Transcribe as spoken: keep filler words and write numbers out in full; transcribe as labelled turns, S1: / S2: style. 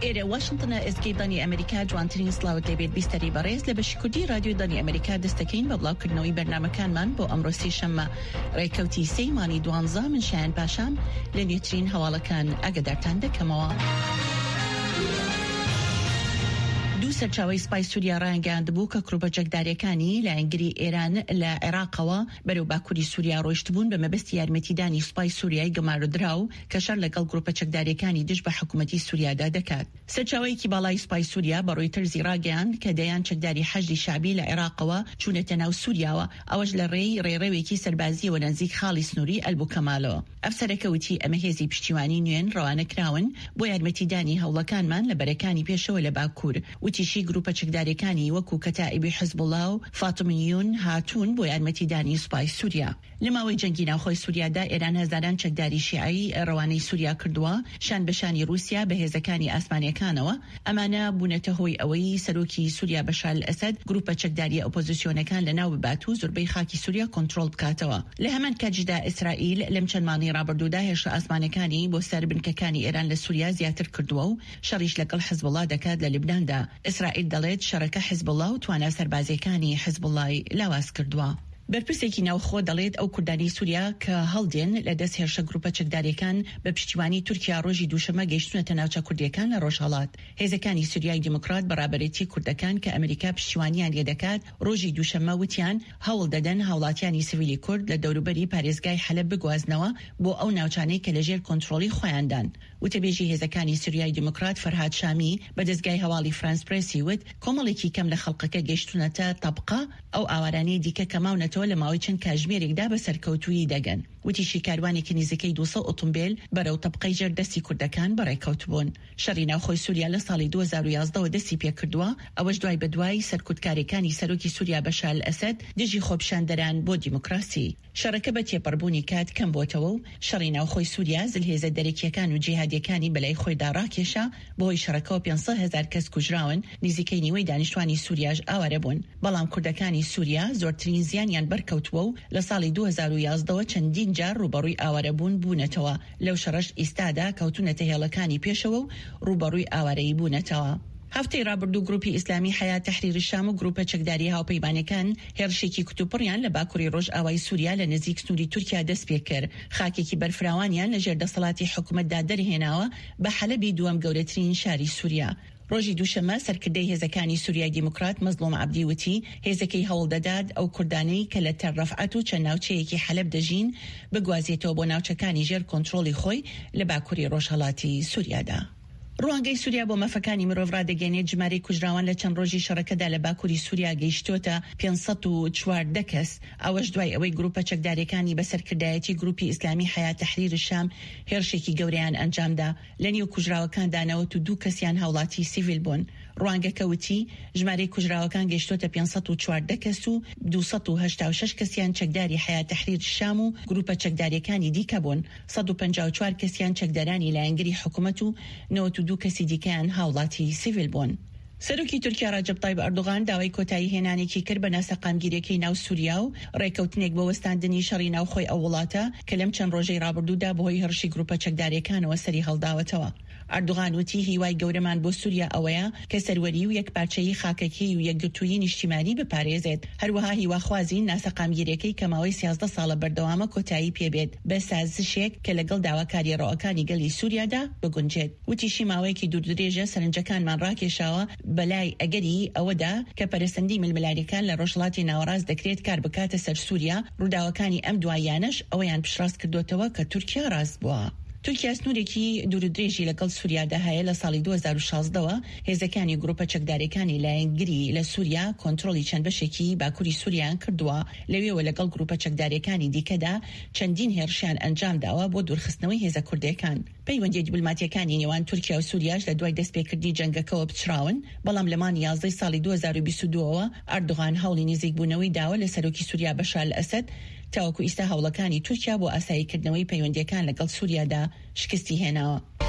S1: ئێرە واشنتنە، ئێزگەی دەنگی ئەمریکا. جوانترین سڵاوت لێبێت بیستەری بەڕێز. لە بەشی کوردی رادیۆی دەنگی ئەمریکا دەستەکەین بە بڵاوکردنەوەی بەرنامەکانمان بۆ ئەمڕۆ سێشەممە ڕێکەوتی سێی مانگی دوانزە. من شایان پاشام لە نوێترین هەواڵەکان ئاگادارتان دەکەمەوە. دوو سەرچاوەی سپای سووریا ڕایانگەیاندبوو کە گروپە چەکداریەکانی لایەنگری ئێران لە عێراقەوە بەرەو باکووری سووریا ڕۆیشتبوون بە مەبەستی یارمەتیدانی سوپای سووریای گەمارۆدراو کە شەڕ لەگەڵ گروپە چەکداریەکانی دژ بە حکوومەتی سووریادا دەکات. سەرچاوەیەکی باڵای سوپای سووریا بە ڕۆیتەرزی ڕاگەیاند کە دەیان چەکداری حەشدی شەعبی لە عێراقەوە چوونەتە ناو سووریاوە، ئەوەش لە ڕێی ڕێڕەوێکی سەربازییەوە لە نزیک خاڵی سنووری ئەلبوکەمالەوە. ئەفسەرەکە وتی ئەمە هێزی پشتیوانی نوێن ڕەوانە کراون بۆ یارمەتیدانی هەوڵەکانمان لە بەرەکانی پێشەوە لە باکوور. وتیشی گروپە چەکداریەکانی وەکو کەتائیبی حزبوڵا و فاتمیون هاتوون بۆ یارمەتیدانی سوپای سووریا. لە ماوەی جەنگی ناوخۆی سووریادا ئێران هەزاران چەکداری شیعەی ڕەوانەی سووریا کردووە شان بە شانی ڕووسیا بە هێزەکانی ئاسمانیەکانەوە. ئەمانە بوونەتە هۆی ئەوەی سەرۆکی سووریا بەشار ئەسەد گروپە چەکداریە ئۆپۆزیسیۆنەکان لەناو ببات و زۆربەی خاکی سووریا کۆنترۆڵ بکاتەوە. لە هەمان کاتیشدا ئیسرائیل لەم چەند مانگەی ڕابردوودا هێرشە ئاسمانەکانی بۆ سەر بنکەکانی ئێران لە سووریا زیاتر کردووە و شەڕیش لەگەڵ حزبوڵا دەکات لە لوبناندا. ئیسرائیل دەڵێت شەڕەکە حزبوڵا و توانا سەربازیەکانی حزبوڵای لاواز کردووە. بەرپرسێکی ناوخۆ دەڵێت ئەو کوردانی سووریا کە هەڵدێن لە دەست هێرشە گروپە چەکداریەکان بە پشتیوانی تورکیا ڕۆژی دووشەممە گەیشتونەتە ناوچە کوردیەکان لە ڕۆژهەڵات. هێزەکانی سووریای دیموکرات بە ڕابەرێتی کوردەکان کە ئەمریکا پشتیوانیان لێدەکات ڕۆژی دووشەممە وتیان هەوڵ دەدەن هاوڵاتیانی سڤیلی کورد لە دەوروبەری پارێزگای حەلەب بگوازنەوە بۆ ئەو ناوچانەی کە لەژێر کۆنترۆڵی خۆیاندان. وتەبێژی هێزەکانی سووریای دیموکرات فەرهاد شامی بە دەزگای هەواڵی فرانس پرێسی وت کۆمەڵێکی کەم لە خەڵکەکە گەیشتونەتە تەبقە، ئەو ئاوارانەی دیکە کە ماونەتەوە لە ماوەی چەند کاژمێرێکدا بە سەرکەوتوویی دەگەن. وتیشی کاروانێکی نزیکەی دوو سەد ئۆتۆمبیل بەرەو تەبقەی ژێر دەستی کوردەکان بەڕێکەوتبوون. شەڕی ناوخۆی سووریا لە ساڵی دوو هەزار و یازدە وە دەستی پێکردووە، ئەوەش دوای بەدوای سەرکوتکاریەکانی سەرۆکی سووریا بەشار ئەسەد دژی خۆپیشاندەران بۆ دیموکراسی. شەڕەکە بە تێپەڕبوونی کات کەم بۆتەوە و شەڕی ناوخۆی سووریا زلهێزە دەرەکیەکان و جیهادیەکانی بەلای خۆیدا ڕاکێشا. بەهۆی شەڕەکەوە پێنج سەد هەزار کەس کوژراون، نزیکەی نیوەی دانیشتوانی سووریاش ئاوارە بوون. بەڵام کوردەکانی سووریا زۆرترین زیانیان بەرکەوتووە و لە ساڵی دوو هەزار و یازدە وە چەندین جار ڕووبەڕووی ئاوارەبوون بوونەتەوە. لەو شەڕەش ئیستادا کەوتونەتە هێڵەکانی پێشەوە و ڕووبەڕووی ئاوارەیی بوونەتەوە. هەفتەی ڕابردوو گروپی ئیسلامی حەیات تەحریر شام و گروپە چەکداری هاوپەیمانەکان هێرشێکی کوتوپڕیان لە باکووری ڕۆژئاوای سووریا لە نزیک سنووری تورکیا دەست پێکرد. خاکێکی بەرفراوانیان لەژێر دەسەڵاتی حکوومەتدا دەرهێناوە بە حەلەبی دووەم گەورەترین شاری سووریا. ڕۆژی دووشەممە سەرکردەی هێزەکانی سووریای دیموکرات مەزڵوم عەبدی وتی هێزەکەی هەوڵ دەدات ئەو کوردانەی کە لە تەل ڕەفعەت و چەند ناوچەیەکی حەلەب دەژین بگوازێتەوە بۆ ناوچەکانی ژێر کۆنترۆڵی خۆی لە باکووری ڕۆژهەڵاتی سووریادا. ڕوانگەی سووریا بۆ مافەکانی مرۆڤ ڕادەگەیەنێت ژمارەی کوژراوان لە چەند ڕۆژی شەڕەکەدا لە باکووری سووریا گەیشتۆتە پێنج سەد و چواردە کەس، ئەوەش دوای ئەوەی گروپە چەکداریەکانی بە سەرکردایەتی گروپی ئیسلامی حەیات تەحریر شام هێرشێکی گەورەیان ئەنجامدا. لە نێو کوژراوەکاندا نەوەت و دوو کەسیان هاوڵاتی سیڤیل بوون. ڕوانگەکە وتی ژمارەی کوژراوەکان گەیشتۆتە پێنج سەد و چواردە کەس و دوو سەد و هەشتا و شەش کەسیان چەکداری حەیات تەحریر شام و گروپە چەکداریەکانی دیکە بوون. سەد و پەنجا و چوار کەسیان چەکدارانی لایەنگری حکوومەت و نەوەت و دوو کەسی دیکەیان هاوڵاتی سیڤیل بوون. سەرۆکی تورکیا ڕەجەب تایب ئەردۆغان داوای کۆتایی هێنانێکی کرد بە ناسەقامگیریەکەی ناو سووریا و ڕێکەوتنێک بۆ وەستاندنی شەڕی ناوخۆی ئەو وڵاتە کە لەم چەند ڕۆژەی ڕابردوودا بەهۆی هێرشی گروپە چەکداریەکانەوە سەری هەڵداوەتەوە. ئەردۆغان وتی هیوای گەورەمان بۆ سووریا ئەوەیە کە سەروەری و یەکپارچەیی خاکەکەی و یەکگرتوویی نیشتیمانی بپارێزێت. هەروەها هیواخوازین ناسەقامگیریەکەی کە ماوەی سیازدە ساڵە بەردەوامە کۆتایی پێبێت بە سازشێک کە لەگەڵ داواکاری ڕەواکانی گەلی سووریادا بگونجێت. وتیشی ماوەیەکی دووردرێژە سەرنجەکانمان ڕاکێشاوە بەلای ئەگەری ئەوەدا کە پەرەسەندی ململانێکان لە ڕۆژهەڵاتی ناوەڕاست دەکرێت کار بکاتە سەر سووریا. ڕووداوەکانی ئەم دواییانەش ئەوەیان پشتڕاست کردوتەوە کە تورکیا ڕاست بووە. تورکیا سنوورێکی دوورودرێژی لەگەڵ سووریادا هەیە. لە ساڵی دوو هەزار و شازدە وە هێزەکانی گروپە چەکداریەکانی لایەنگری لە سووریا کۆنترۆڵی چەند بەشێکی باکووری سووریان کردووە. لەوێوە لەگەڵ گروپە چەکداریەکانی دیکەدا چەندین هێرشیان ئەنجام داوە بۆ دوورخستنەوەی هێزە کوردیەکان. پەیوەندیە دیپلۆماتیەکانی نێوان تورکیا و سووریاش لە دوای دەستپێکردنی جەنگەکەوە پچڕاون، بەڵام لە مانگی یازدەی ساڵی دوو هەزار و بیست و دوو ەوە ئەردۆغان هەوڵی نزیکبوونەوەی داوە لە سەرۆکی سووریا بەشار ئەسەد. تاوەکو ئیستا هەوڵەکانی تورکیا بۆ ئاساییکردنەوەی پەیوەندیەکان لەگەڵ سووریادا شکستی هێناوە.